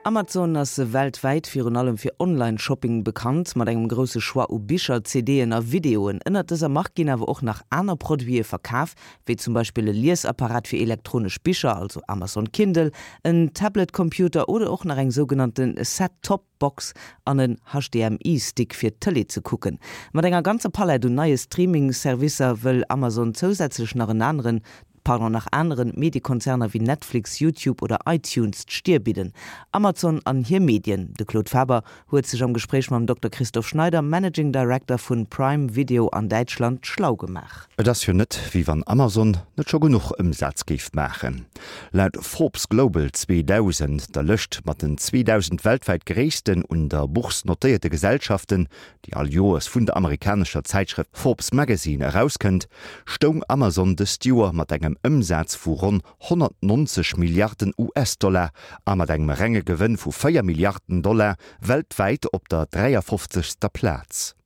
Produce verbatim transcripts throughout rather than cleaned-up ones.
Amazon ass weltwäit virun allem fir Online-Shopping bekannt, mat engem grousse Choix u Bicher, CDen a Videoen. Ënnert dëser Mark ginn awer och nach aner Produite verkaf, wéi zum Beispill e Liesapparat fir elektronesch Bicher, also Amazon Kindle, en Tablet-Computer oder och nach eng sougenannte Set-Top-Box an en H D M I-Stick fir Tëlee ze kucken. Mat enger ganzer Palett un neie Streaming-Servicer wëll Amazon zousätzlech nach en aneren pardon, nach aneren Mediekonzerner wéi Netflix, YouTube oder iTunes d'Stier bidden. Amazon an hir Medien. De Claude Faber huet sech am Gespréich mam Dokter Christoph Schneider, Managing Director vun Prime Video an Däitschland, schlau gemaach. Et ass jo net, wéi wann Amazon net scho genuch Ëmsaz géif maachen. Laut Forbes Global zweedausend, der Lëscht mat den zweedausend weltwäit gréissten un der Bourse notéierte Gesellschaften, déi all Joers vun der amerikanescher Zäitschrëft Forbes Magazine erauskënnt, stoung Amazon dëst Joer mat engem Ëmsaz vu ronn honnertnonzeg Milliarden U S-Dollar a mat engem renge Gewënn vu véier Milliarden Dollar weltwäit op der dräiafofzegster Plaz.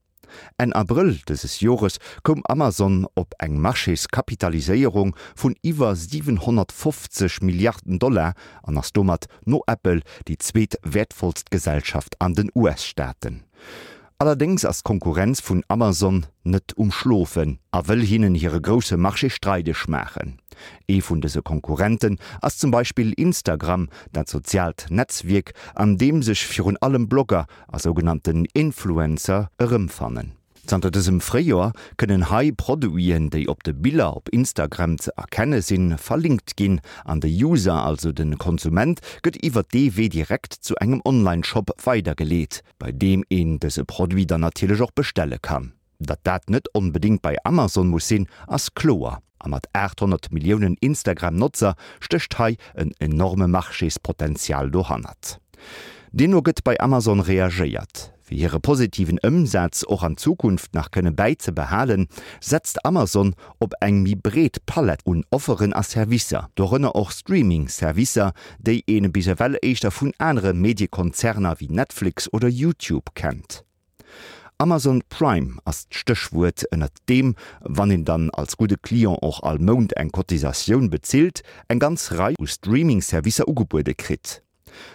Enn Abrëll dëses Jores koum Amazon op eng Marchéskapitaliséierung vun iwwer siwenhonnertfofzeg Milliarden Dollar an ass domat no Apple déi zweetwäertvollst Gesellschaft an den U S-Staaten. Allerdéngs ass d'Konkurrenz vun Amazon net um Schlofen a wëll hinnen hire grousse Marché streideg maachen. Ee vun dëse Konkurrenten ass zum Beispill Instagram, dat soziaalt Netzwierk, an deem sech virun allem Blogger a sougenannten Influencer erëmfannen. Zanter dësem Fréijoer kënnen hei Produiten, déi op de Biller op Instagram ze erkenne sinn, verlinkt ginn an de User, also de Konsument, gëtt iwwer dee Wee direkt zu engem Online-Shop weidergeleet, bei deem een dëse Produit dann natierlech och bestelle kann. Datt dat net onbedéngt bei Amazon muss sinn, ass kloer. A mat aathonnert Milliounen Instagram-Notzer stécht hei en enorme Marchéspotenzial dohannert. Deemno gëtt bei Amazon reagéiert. Fir hire positiven Ëmsaz och an Zukunft nach kënne bäizebehalen, setzt Amazon op eng méi breet Palett un Offeren a Servicer, dorënner och Streaming-Servicer, déi ee bis ewell éischter vun anere Mediekonzerner wéi Netflix oder YouTube kennt. Amazon Prime ass d'Stéchwuert, ënnert deem, wann een dann als gudde Client och all Mount eng Cotisatioun bezilt, eng ganz Rei u Streaming-Servicer ugebuede kritt.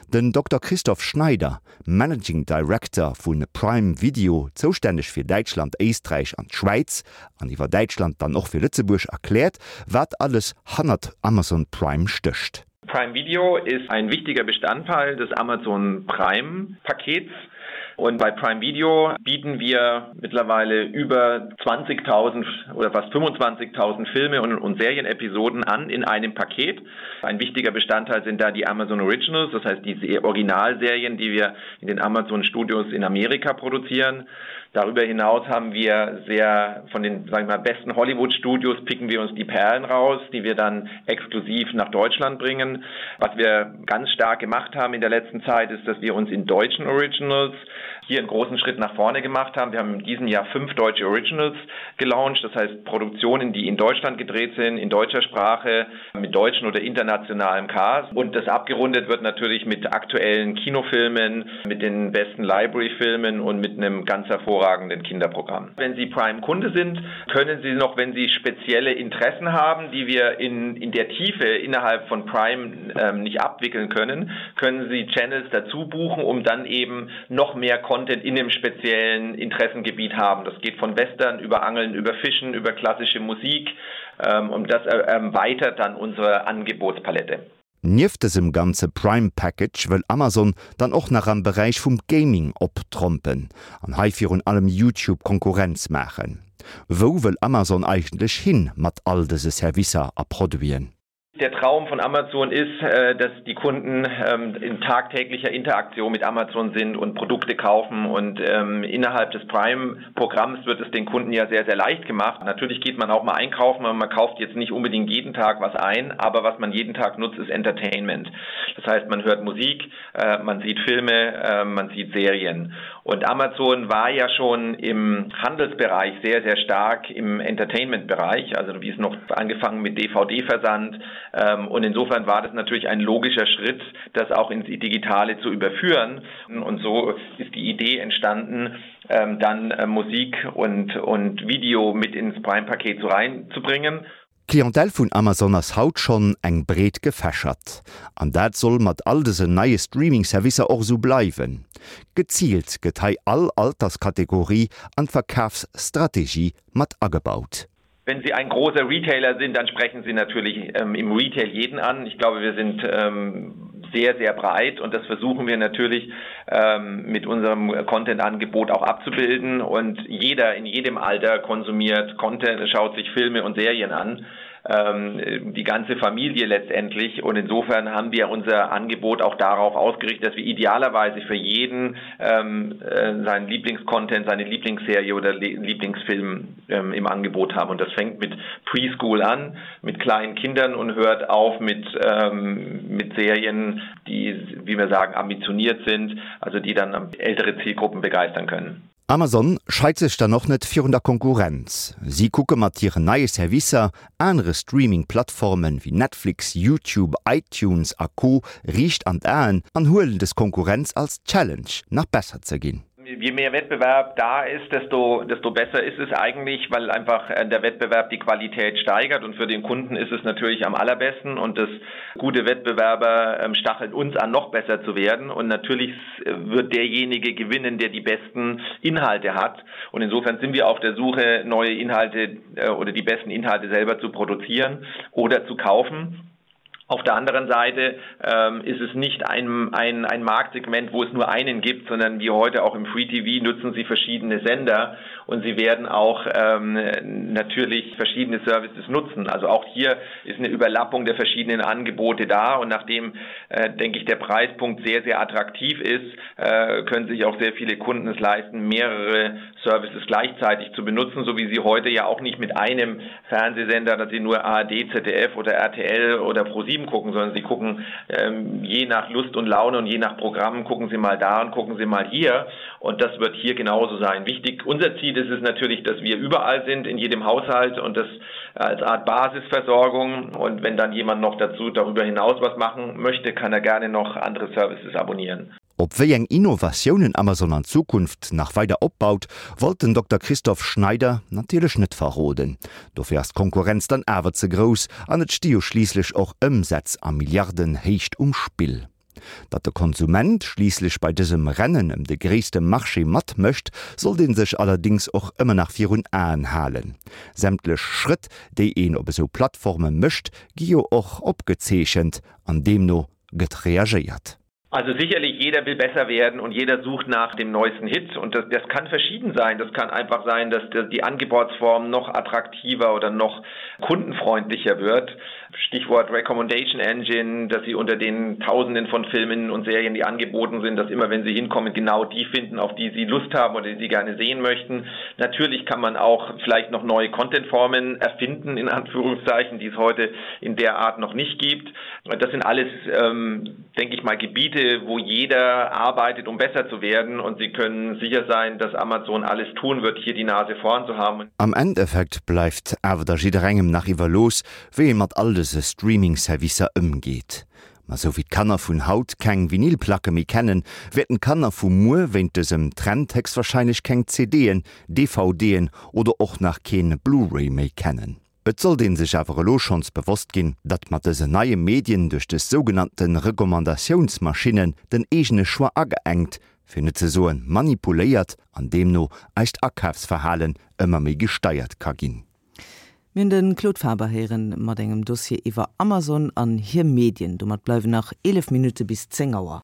Den Dokter Christoph Schneider, Managing Director vu Prime Video, zoustänneg fir Däitschland, Éisträich an d'Schwäiz, an iwwer Däitschland dann och fir Lëtzebuerg, erkläert, wat alles hannert Amazon Prime stécht. Prime Video ist ein wichtiger Bestandteil des Amazon Prime Pakets. Und bei Prime Video bieten wir mittlerweile über zwanzigtausend oder fast fünfundzwanzigtausend Filme und, und Serienepisoden an in einem Paket. Ein wichtiger Bestandteil sind da die Amazon Originals, das heißt die Originalserien, die wir in den Amazon Studios in Amerika produzieren. Darüber hinaus haben wir sehr von den, sagen wir mal, besten Hollywood-Studios picken wir uns die Perlen raus, die wir dann exklusiv nach Deutschland bringen. Was wir ganz stark gemacht haben in der letzten Zeit, ist, dass wir uns in deutschen Originals hier einen großen Schritt nach vorne gemacht haben. Wir haben in diesem Jahr fünf deutsche Originals gelauncht, das heißt Produktionen, die in Deutschland gedreht sind, in deutscher Sprache, mit deutschen oder internationalem Cast. Und das abgerundet wird natürlich mit aktuellen Kinofilmen, mit den besten Library-Filmen und mit einem ganz hervorragenden Kinderprogramm. Wenn Sie Prime-Kunde sind, können Sie noch, wenn Sie spezielle Interessen haben, die wir in, in der Tiefe innerhalb von Prime ähm, nicht abwickeln können, können Sie Channels dazu buchen, um dann eben noch mehr Content in dem speziellen Interessengebiet haben. Das geht von Western über Angeln, über Fischen, über klassische Musik ähm, und das erweitert dann unsere Angebotspalette. Nieft dësem ganze Prime Package wëll Amazon dann och nach am Beräich vum Gaming optrompen an hei virun allem YouTube Konkurrenz maachen. Wou wëll Amazon eigentlech hin mat all dëse Servicer a Produiten? Der Traum von Amazon ist, äh, dass die Kunden ähm, in tagtäglicher Interaktion mit Amazon sind und Produkte kaufen und ähm, innerhalb des Prime-Programms wird es den Kunden ja sehr, sehr leicht gemacht. Natürlich geht man auch mal einkaufen, aber man kauft jetzt nicht unbedingt jeden Tag was ein, aber was man jeden Tag nutzt, ist Entertainment. Das heißt, man hört Musik, äh, man sieht Filme, äh, man sieht Serien. Und Amazon war ja schon im Handelsbereich sehr, sehr stark im Entertainment-Bereich, also wie es noch angefangen mit D V D-Versand. Ähm, und insofern war das natürlich ein logischer Schritt, das auch ins Digitale zu überführen. Und so ist die Idee entstanden, ähm, dann äh, Musik und, und Video mit ins Prime-Paket so reinzubringen. D'Clientèle vun Amazon ass haut schonn eng breet gefächert. An dat soll mat all dësen neie Streaming-Servicer och esou bleiwen. Geziilt gëtt hei all Alterskategorie an d'Verkafsstrategie mat agebaut. Wenn Sie ein großer Retailer sind, dann sprechen Sie natürlich ähm, im Retail jeden an. Ich glaube, wir sind ähm, sehr, sehr breit und das versuchen wir natürlich ähm, mit unserem Content-Angebot auch abzubilden. Und jeder in jedem Alter konsumiert Content, schaut sich Filme und Serien an. Ähm, die ganze Familie letztendlich. Und insofern haben wir unser Angebot auch darauf ausgerichtet, dass wir idealerweise für jeden ähm, äh, seinen Lieblingscontent, seine Lieblingsserie oder Lieblingsfilm ähm, im Angebot haben. Und das fängt mit Preschool an, mit kleinen Kindern und hört auf mit, ähm, mit Serien, die, wie wir sagen, ambitioniert sind, also die dann ältere Zielgruppen begeistern können. Amazon scheit sech dann och net virun der Konkurrenz. Si kucke mat hiren neie Servicer anere Streaming-Plattformen wéi Netflix, YouTube, iTunes a Co. Riicht an d'Aen an huelen des Konkurrenz als Challenge, nach besser ze ginn. Je mehr Wettbewerb da ist, desto, desto besser ist es eigentlich, weil einfach äh, der Wettbewerb die Qualität steigert und für den Kunden ist es natürlich am allerbesten und das gute Wettbewerber ähm, stacheln uns an, noch besser zu werden und natürlich äh, wird derjenige gewinnen, der die besten Inhalte hat und insofern sind wir auf der Suche, neue Inhalte äh, oder die besten Inhalte selber zu produzieren oder zu kaufen. Auf der anderen Seite ähm, ist es nicht ein, ein, ein Marktsegment, wo es nur einen gibt, sondern wie heute auch im Free T V nutzen sie verschiedene Sender und sie werden auch, ähm, natürlich verschiedene Services nutzen. Also auch hier ist eine Überlappung der verschiedenen Angebote da und nachdem, äh, denke ich, der Preispunkt sehr, sehr attraktiv ist, äh, können sich auch sehr viele Kunden es leisten, mehrere Services gleichzeitig zu benutzen, so wie sie heute ja auch nicht mit einem Fernsehsender, dass sie nur A R D, Z D F oder R T L oder Pro sieben gucken, sondern sie gucken, ähm, je nach Lust und Laune und je nach Programm gucken sie mal da und gucken sie mal hier und das wird hier genauso sein. Wichtig, unser Ziel ist es natürlich, dass wir überall sind, in jedem Haushalt und das als Art Basisversorgung und wenn dann jemand noch dazu darüber hinaus was machen möchte, kann er gerne noch andere Services abonnieren. Op wéi eng Innovatiounen Amazon an Zukunft nach weider opbaut, wollt den Dokter Christoph Schneider natierlech net verroden. Dofir ass d'Konkurrenz dann awer ze grouss an et sti jo schliisslech och Ëmsätz a Milliardenhéicht um Spill. Datt de Konsument schliisslech bei dësem Rennen ëm de gréisste Marché matmécht, sollt ee sech allerdéngs och ëmmer nach virun Aen halen. Sämtlech Schrëtt, déi een op esou Plattforme mécht, gi jo och opgezeechent an deemno gëtt reagéiert. Also sicherlich, jeder will besser werden und jeder sucht nach dem neuesten Hit und das, das kann verschieden sein. Das kann einfach sein, dass die Angebotsform noch attraktiver oder noch kundenfreundlicher wird. Stichwort Recommendation Engine, dass sie unter den Tausenden von Filmen und Serien, die angeboten sind, dass immer, wenn sie hinkommen, genau die finden, auf die sie Lust haben oder die sie gerne sehen möchten. Natürlich kann man auch vielleicht noch neue Contentformen erfinden, in Anführungszeichen, die es heute in der Art noch nicht gibt. Das sind alles, ähm, denke ich mal, Gebiete, wo jeder arbeitet, um besser zu werden und Sie können sicher sein, dass Amazon alles tun wird, hier die Nase vorn zu haben. Am Endeffekt bleift awer da jidderengem nach iwwerlooss, wéi ee mat all dëse Streaming-Servicer ëmgeet. Ma sou wéi d'Kanner vun haut keng Vinylplacke méi kennen, wäerten d'Kanner vu muer wéint dësem Trend héchstwarscheinlech keng C D'en, D V D'en oder och nach keen Blu-ray méi kennen. Et sollt een sech awer elo schonns bewosst ginn, datt mat dësen neie Medien duerch dës sougenannte Recommandatiounsmaschinnen den eegene Choix ageengt, fir net ze soen manipuléiert an deemno eist Akafsverhalen ëmmer méi gesteiert ka ginn. Mir hunn de Claude Faber héieren mat engem Dossier iwwer Amazon an hir Medien. Domat bleiwen nach eelef Minutte bis zéng Auer.